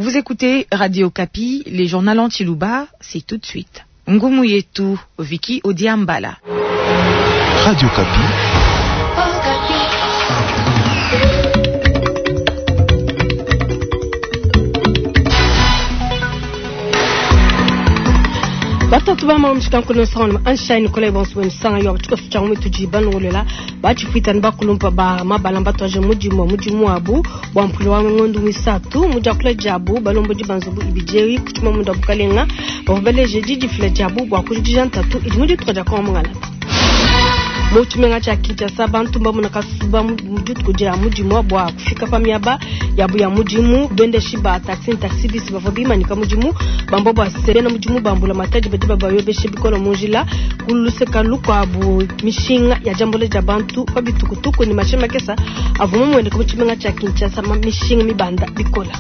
Vous écoutez Radio Okapi, les journaux en Tshiluba, c'est tout de suite. Ngumu yetu, Vicky Odiambala. Radio Okapi. Batatu ba mamu tshikankulu nsanga anshaini kola bonso nsanga yo tshikoso tshia mutu ji balongolela batshipwita ne bakulumpa ba mabala mbatwaje mudimu mudimu wabu bwa mpulu wa ngondu misatu mujakula jabu balombodi banzubu ibijewi kuchuma munda bukalenga bavubeleje didifila jabu bwa kujikija ntatu idi mudituka dia kwa mungalata. Mu tshimenga tshia Kinshasa bantu mbamuna kasuba mu dituku dia mudimu bua kufika pa miaba yabu ya mudimu bendeshi ba taxi ne taxi bisi bavua bimanyika mudimu bamba bua se bena mudimu bambula matadi badi babayobeshe bikole mu njila ku luseka lukuabu mishinga ya diambula dia bantu pa bitukutuku ne mashinyi makesa avua mamueneka mu tshimenga tshia Kinshasa mishinga mibanda bikola.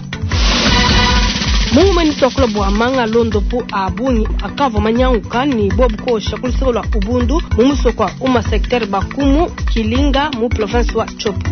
Mu tuakula bua manga londopu a bungi akavua manyanguka ne bobu kosha ku luseke lua Ubundu mu musoko wa Uma secteur Bakumu Kilinga mu province wa Tshopo.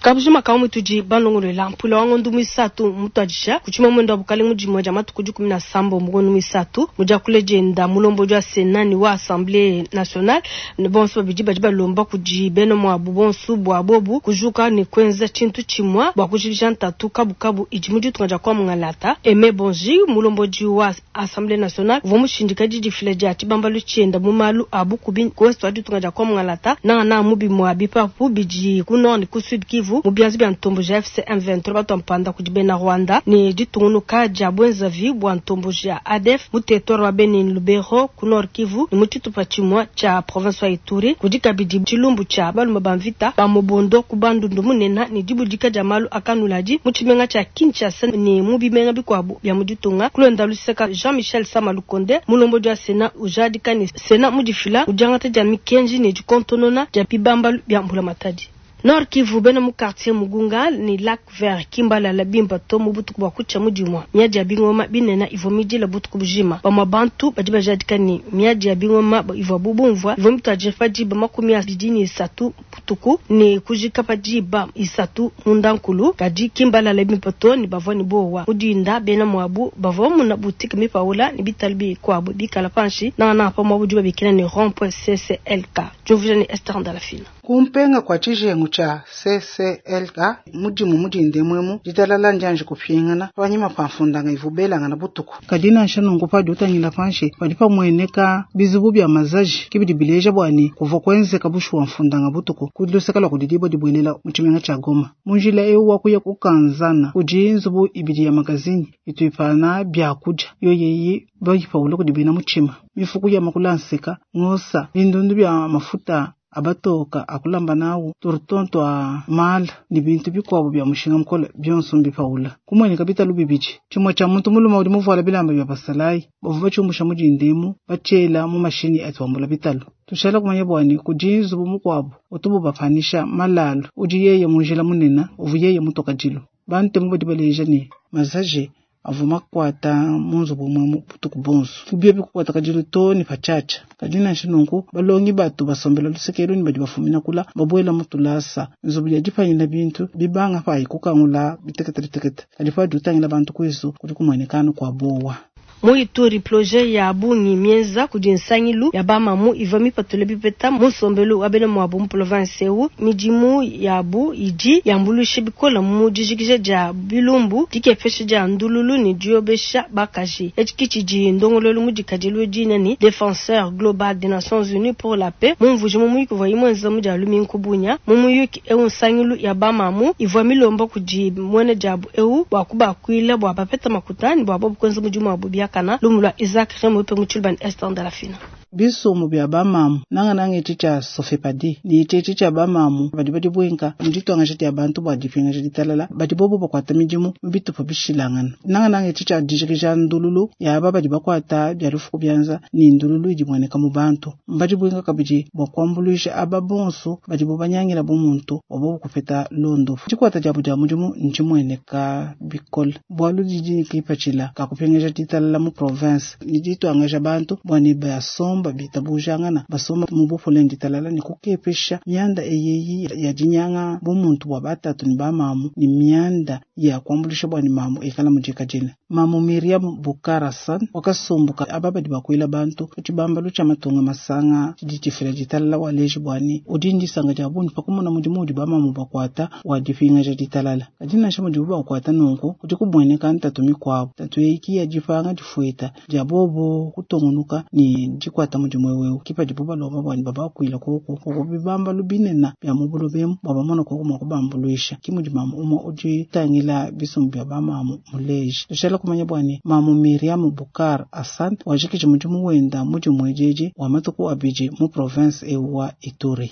Kabujima ka mutudi balongolola mpula wa ngondu muisatu mutuadisha kuchima mwendo wa bukalenga dimue dia matuku 17 mu ngondu muisatu mudiakule dienda mulombodi wa Sénat ni wa Assemblée nationale ne bonso babidi badi balomba kudi bena muabu bonso bua bobu kujuka ne kuenza tshintu tshimue bua kujikija ntatu kabukabu idi mu ditunga dia kwa mungalata. Aimé Bonji mulombodi wa Assemblée nationale uvua mushindika didifila dia tshibambalu tshienda mu malu a bukubi ku ouest wa ditunga dia kwa mungalata nangana mu bimue bipapu bidi ku nord ne ku sud Kivu mu bianza bia ntombo ja FC M23 batwa mpanda kudi bena Rwanda ne ditungunuka dia bwenzavi bua ntombo ja ADF mu territoire wa Beni Lubero ku Nord Kivu ne mu tshitupa tshimue tshia province wa Ituri kudi kabidi tshilumbu tshia balume ba mvita ba mobondo ku bandundu munene ne dibudika dia malu akanuladi mu tshimenga tshia Kinshasa ne mu bimenga bikuabu bia mu ditunga. Kulonda luseka Jean-Michel Sama Lukonde mulombodi wa Sénat ujadika ne Sénat mudifila mu diangata dia mikenji ne dikontonona dia bibambalu bia mbulamatadi. Nord Kivu bena mu quartier Mugunga ni Lac Vert Kimbala la bimba to mu butuku bua kutsha mudimua miadi ya bingoma binena ivua midila butuku bujima bamua bantu badi bajadika ni miadi ya bingoma ivua bubumvua ivua mituadije pa diba 23 butuku ne kujika pa diba 3 mundankulu kadi Kimbala la bimba to ni bavua ni bowa mudinda bena muabu bavua muna boutique mipaula ni bitalu bikuabu bikala panshi na na pa muabu diba bikila ni rond point CCLK Jovija ni Esther Ndalafina. Kumpenga kwa tshijengu tsha CCLK mudimu mudinde mwemu ditalala njanje kupingana panyima pa mfundanga ivubelanga na butuku kadi nansha nungu padi utangila panshi padi pamweneka bizubu bya mazaji kibidi bileja bwani kuva kwenzeka bushuwa mfundanga butuku kudiluseka lwa kudidibo dibwelela mu tshimenga tsha Goma munjila eu wakuya kukanzana kudi nzubu ibidi ya magazini ituipana byakudia yoyeyi bayipaula kudibena mutshima mifuku ya makulanseka ngosa bindundu bya mafuta abatoka akulamba nawo turutonto a mala ni bintu bikuabu bya mushinga mukole byonso mbipaula kumweneka bitalu bibidi tshimue tshia muntu muluma udi muvuala bilamba bya basalayi bavu batshiumusha mudindemu batshela mu mashini atuambula bitalu tushala kumanya bwani kudi nzubu mukuabu utubu bapanisha malalu udi yeye munjila munena uvu yeye mutoka dilo bantemu badi baleja ni mazaje avuma kukwata munzubu mwe butuku bonso kubye bikukwata kadilu to ni pachacha kadi nansha nunku balongi batu basombela lusekelu ni badi bafumina kula babwela mutulasa nzubu ya dipanyila bintu bibanga payi kukangula bitekete bitekete kadi padi utangila bantu kwisu kudi kumwenekano kwa bowa. Mu Ituri projet ya bungi mienza kudi nsangilu ya bamamu ivua mipatule bipeta mu nsombelu wa bena muabu mu province eu midimu yabu idi yambuluisha bikola mu dijikija dia bilumbu dikepesha dia ndululu ne diobesha bakaji etshi kitshidi ndongololu mudikadilu dina ni défenseur global des Nations Unies pour la paix mumvuji mu muyuki uvua imwenza mu dia lumingu bunya mu muyuki eu nsangilu ya bamamu ivua milomba kudi mwene diabu eu bua kubakuila bua bapeta makutani bua bobu kuenza mudimu wabu biakana lumu lua Isaac Remope mu Tshilubani Esther Ndalafina. Bisumu bya bamamu nanga nanga ichi cha sofepadi ni ichi ichi cha bamamu badi badi bwenka muditwangasha dia bantu bua dipingasha ditalala badi bobo bakwata midimu mubitupa bishilangana nanga nanga ichi cha dijikija ndululu yaba badi bakwata bya lufuku byanza ni ndululu idi mueneka mu bantu mbadi bwenka kabidi bua kuambuluisha aba bonso badi bo banyangila bumuntu obo kupeta londo dikwata diabu dia mudimu ntshimueneka bikole bualu didi kipatshila kakupingasha ditalala mu province ni ditwangasha bantu bua ne basomba. basomba bitabujangana, basomba mu bupole ne ditalala ne kukepesha mianda eyi ya dinyanga bumuntu bua batatu ne bamamu ne mianda ya kuambuluisha bua ne mamu ikala mudikadile. Mamu Miriam Bukarasan wakasumbuka aba badi bakuila bantu ku tshibambalu tshia matunga masanga tshidi tshifila ditalala waleji bua ne udi ndisanga dia bungi pa kumona mudimu udi bamamu bakuata wa dipingaja ditalala. Kadi nansha mudibu bakuata nunku kudi kumueneka ntatu mikuabu, ntatu eyi ki ya dipanga difueta dia bobo kutungunuka ne dikuata mudimu ewu ki padibu balomba bua ne babakuila koko koko bibambalu binene bia mu buloba bua bamone koko mua kubambuluisha. Ki mudi mamu umue udi tangila bisumbu bia bamamu muleji. Tushala kumanya bua ne mamu Miriam Bukar Hassan wajikiji mudimu wenda mudimu ejeje wa matuku abidi mu province ewu wa Ituri.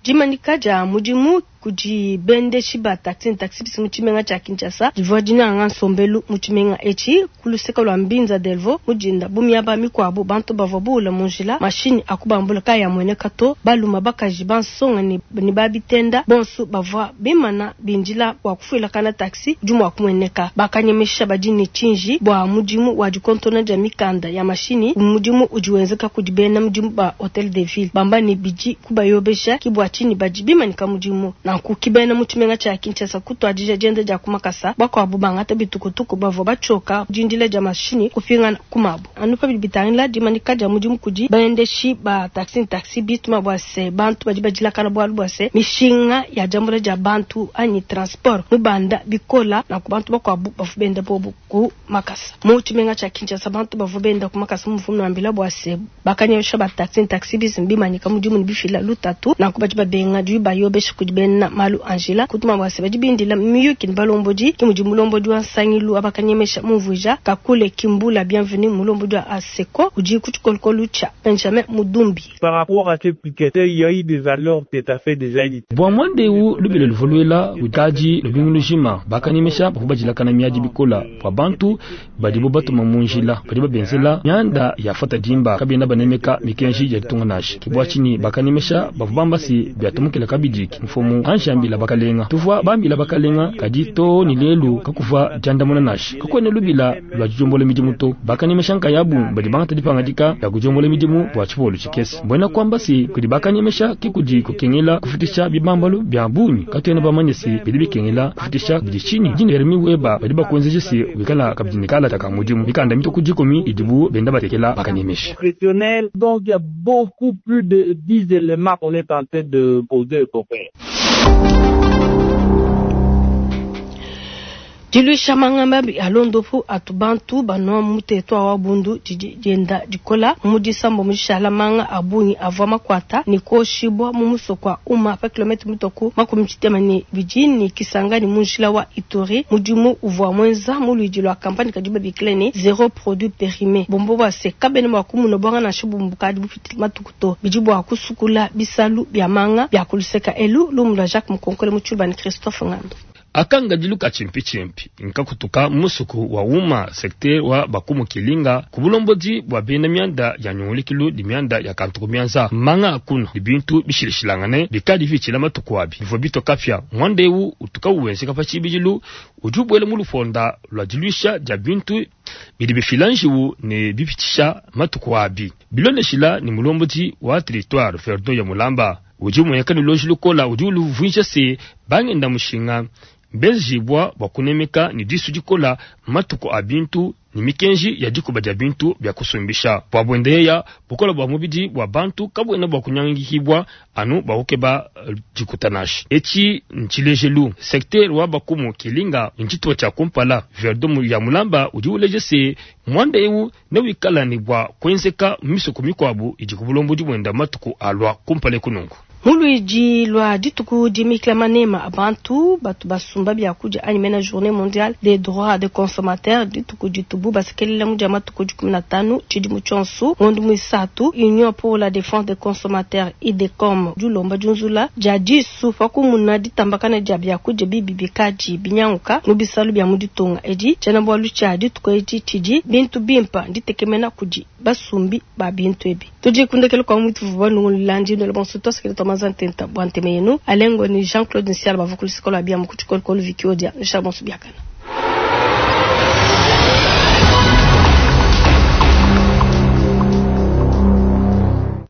Dimanika dia mudimu kudi bendeshi ba taxi ne taxi bisi mu tshimenga tshia Kinshasa divua dinanga nsombelu mu tshimenga etshi ku luseke lua Mbinza Delvaux mu dinda bu miaba mikuabu bantu bavua buula mu njila mashinyi akubambula kayamueneka to baluma bakaji bansonga ne babitenda bonso bavua bimana bindila bua kufuilakana taxi udi mua kumueneka. Bakanyemesha badi ne tshinji bua mudimu wa dikontona dia mikanda ya mashinyi mudimu udi wenzeka kudi bena mudimu ba Hotel de Ville bamba ne bidi kubayobesha ki bua tshinyi badi bimanika mudimu. Nanku kibena mu tshimenga tshia Kinshasa kutuadija dienda dia kumakasa bakuabu bangata bitukutuku bavua batshoka dindila dia mashinyi kupingana kumabu. Anu pabidi bitangila dimanika dia mudimu kudi baendeshi ba taxi ne taxi bituma bua se bantu badi badilakana bualu bua se mishinga ya diambula dia bantu anyi transport mubanda bikola nanku bantu bakuabu bavua benda bobu ku makasa. Mu tshimenga tshia Kinshasa bantu bavua benda ku makasa mu mvumu ambila bua se bakanyesha ba taxi ne taxi bisi bimanyika mudimu ne bifila lutatu nanku badi babenga dui bayobesha kudi bena malu Angela kutuma bua se badi bindila miyuki ne balombodi ki mudi mulombodi wa nsangilu abakanyemesha mumvuija kakule kimbula bienvenue mulombodi wa ASECO udi ku tshikolokolo tshia Benjamin Mudumbi. Par rapport à ces piquets, il y a eu des alertes tout à fait déjà dit. Bua mwandeu lubilo luvoluela utaji lubingu lujima bakanyemesha bakubajilakana miadi bikola bua bantu badibo batuma mu njila badi babenzela nyanda ya fata dimba kabena banemeka mikenji ya ditunga nashi kibwa chini bakanyemesha bavubamba si biatumukila kabidi mfumu anjambila bakalenga tuvua bambila bakalenga kadi to ni lelu kakuva jandamuna nashi kakwene lubila lwa jombola midimu to bakanyemesha nkayabu badi bangata dipangadika ya kujombola midimu bua tshipolo tshikese mbwena kwamba si kudi bakanyemesha kikudi kukengela kufitisha bibambalu bya bunyi katwene bamanye si bidi bikengela kufitisha bidi chini dini Jeremy Weba badi bakuenzeje si wikala kabidi kala taka mudimu mikanda mito kujikomi idibu benda batekela bakanyemesha. Donc il y a beaucoup plus de 10 éléments qu'on est en train de poser au copain. Diluisha mangamba alondopu atubantu banwa mutetwa wa bundu didi dienda dikola mu disambo mujishala manga abungi avua makwata ni koshibwa mu musoko uma pa kilometre mitoku makumi tshitema ne bidi ni Kisangani mu njila wa Ituri mudimu uvua mwenza mu luidi lwa kampani kadi babikile ne zéro produit périmé bombo bwa se kabene bwa kumuna bwanga na shibumbu kadi bupiti matukuto bidi bwa kusukula bisalu bya manga bya kuluseka elu lumu lwa Jacques Mukonkole mu Tshilubani Christophe Ngando. Akanga diluka chimpi chimpi nkakutuka musuku wa uma secteur wa bakumu kilinga kubulombodi bwa bena mianda ya nyungulikilu di mianda ya kantuku mianza manga akuna dibintu bishilishilangane bikadi vichila matuku abi bivua bitoka mwandewu utuka uwenzeka pa tshibidilu udi ubwela mu luponda lwa diluisha dia bintu bidi bifila njiwu ne bipitisha matuku abi biloneshila ni mulombodi wa territoire Verdon ya Mulamba udi umunyeka ni loji lukola udi uluvunja se bangenda mushinga mbezibwa bwa kunemeka ni disu dikola matuku a bintu ni mikenji ya dikuba dia bintu bya kusumbisha bwa bwendeya bukola bwa mubidi bwa bantu kabwena bwa kunyangihibwa anu bwa kukeba dikutanashi eci nchilejelu secteur wa bakumu kilinga nchituwa cha kumpala Verdon ya Mulamba udi uleje se mwanda ewu ne wikala ni bwa kwenzeka misuku mikwabu idi kubulombo bwenda matuku alwa kumpale kunungu. Muluiji lwa dituku dimikila manema abantu batu basumba bya kudia anyi mena journée mondiale des droits des consommateurs dituku ditubu basekelela mudia matuku 15 tshidimu tshionso ngondo muisatu Union pour la défense des consommateurs IDECOM dilomba diunzula dia disu pakumuna ditambakana dia bya kudia bibi bikadi binyanguka mu bisalu bya mu ditunga edi tshiena-bualu tshia dituku edi tshidi bintu bimpa nditekemena kudi basumbi ba bintu ebi tudi kundekela kwa mutu vuba nungulandi ndole bonso twasekele twamaza ntenta bwa nteme yenu alengo ni Jean-Claude Nsiala bava kulisikola bia mu kutshikolokolo Viki Odia nshaba bonso biakana.